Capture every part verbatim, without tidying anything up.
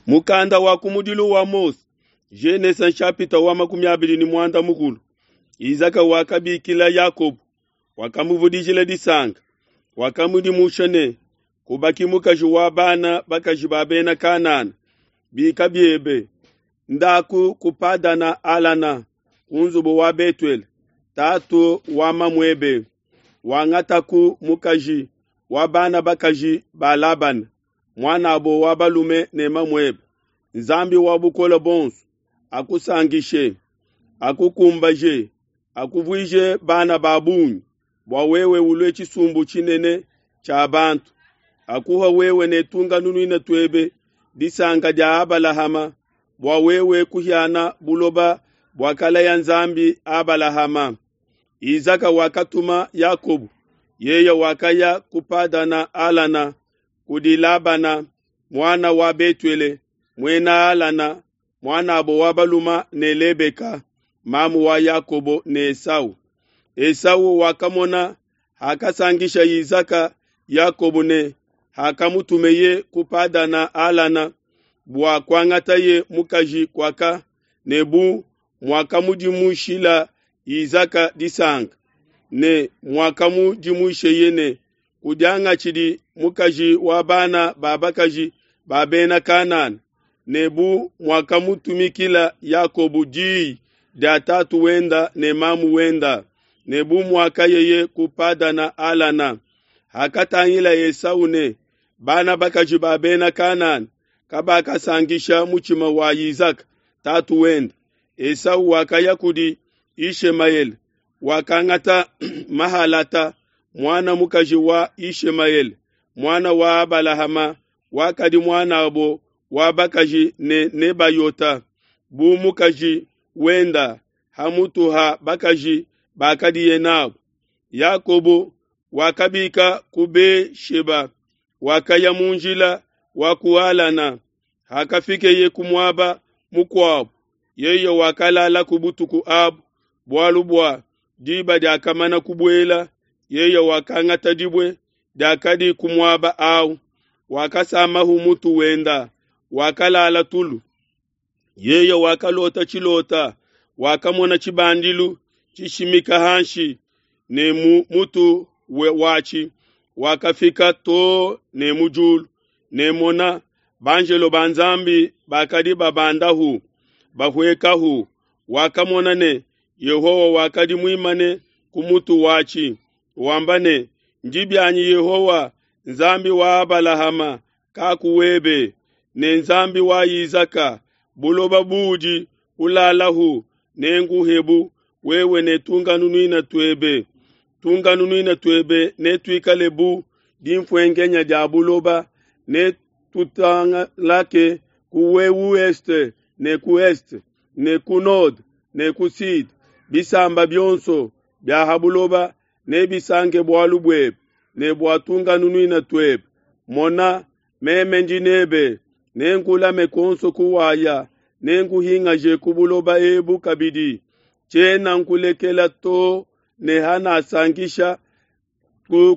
Mukanda wa kumudilu wa Mose, Genese nshapita wa makumi abidi ne muanda mukulu. Izaka wakabikila Yakobo, wakamuvudijila disanka, wakamudimusha ne kubaki mukaji wa bana bakaji ba bena Kanana, bika biebe, ndaku ku Padana Alana, ku nzubu wa Betuele, tatu wa mamuebe, wangataku mukaji wa bana bakaji ba Labana, muanabo wa balume ne mamuebe. Nzambi wa bukole bonso akusankishe, akukumbaje, akuvuije bana ba bungi, bua wewe ulue tshisumbu tshinene tshia bantu. Akuha wewe ne tunganunwina tuebe disanka dia Abalahama, bua wewe kuhiana buloba buakalaya Nzambi Abalahama. Izaka wakatuma Yakobo, yeye wakaya ku Padana Alana kudi Labana muana wa Betuele muena Alana muanabo wa baluma ne Lebeka mamu wa Yakobo ne Esau. Esau wakamona hakasangisha Izaka Yakobo ne hakamutumeye ku Padana Alana bua kuangataye mukaji kuaka ne bu muakamudimushila Izaka disanka ne muakamudimusheye ne kudiangatshidi mukaji wa bana ba bakaji ba bena Kanana ne bu muakamutumikila Yakobo diyi dia tatu wenda ne mamu wenda ne bu muakayeye ku Padana Alana. Hakatangila Esau ne bana bakaji ba bena Kanana kabakasankisha mutshima wa Izaka tatu wenda, Esau wakaya kudi Ishemayele, wakangata Mahalata muana mukaji wa Ishemayele muana wa Abalahama, wakadi muanabo wa bakaji ne Nebayota bu mukaji wenda hamutu ha bakaji bakadiye nabo. Yakobo wakabika ku Be-sheba, wakaya mu njila wa ku Alana. Hakafikeye ku muaba mukuabo, yeye wakalala ku butuku abu, bualu bua diba diakamana kubuela. Yeye wakangata dibue diakadi ku muaba awu, wakasamahu mutu wenda, wakalala tulu. Yeye wakalota tshilota, wakamona tshibandilu tshishimika hanshi ne mu mutu watshi wakafika too ne mu diulu, ne mona, banjelo ba Nzambi bakadi babandahu bahuekahu. Wakamona ne Yehowa wakadi muimane ku mutu watshi, wamba ne, Ndi bianyi Yehowa, Nzambi wa Abalahama kaku webe, ne Nzambi wa Izaka, buloba buudi ulalahu nenguhebu wewe ne tunganunwina tuebe. Tunganunwina tuebe netuikale bu dimfuenkenya dia buloba, ne tutangalake ku ouest ne ku est ne ku nord ne ku sud. Bisamba bionso bia ha buloba nebisanke bualu buebe ne bua tunganunwina tuebe. Mona, meme ndi nebe, nenkulame kuonso kuwaya, nenkuhingaje ku buloba ebu kabidi. Tshiena nkulekela to ne hanasankisha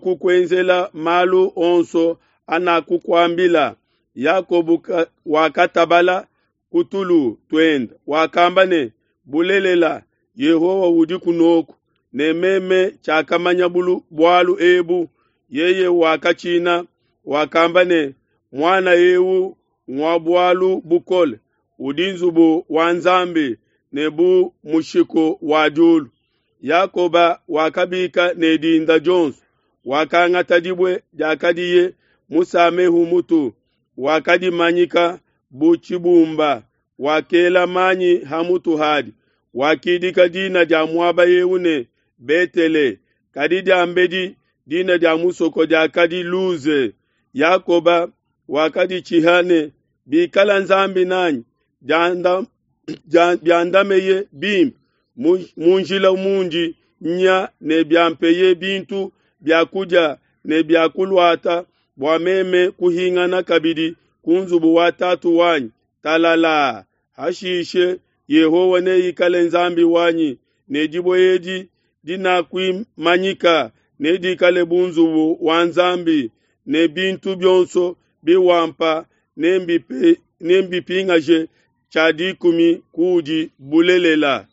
kukuenzela malu onso anakukuambila. Yakobo wakatabala ku tulu tuende, wakamba ne, Bulelela, Yehowa udi kunoku, ne meme tshiakamanya bualu ebu. Yeye wakatshina, wakamba ne, Muana eu ngua bualu bukole, udi nzubu wa Nzambi ne bu mushiku wa diulu. Yakoba wakabika ne dinda dionso, wakangata dibue diakadiye musamehu mutu, wakadimanyika bu tshibumba, wakela manyi ha mutu hadi, wakidika dina dia muaba eu ne Betele, kadi diambedi dina dia musoko diakadi Luze. Yakoba wakaditshiha ne, Bikala Nzambi nanyi, biandameye bimpe mu njila mundi nya ne biampeye bintu bia kudia ne bia kuluata, bua meme kuhingana kabidi ku nzubu wa tatu wanyi talala. Hashishe Yehowa neikale Nzambi wanyi, ne dibue edi dinakuimanyika nedikale bu nzubu wa Nzambi, ne bintu bionso biwampa nembipe- nembipingaje tshia dikumi kuudi bulelela.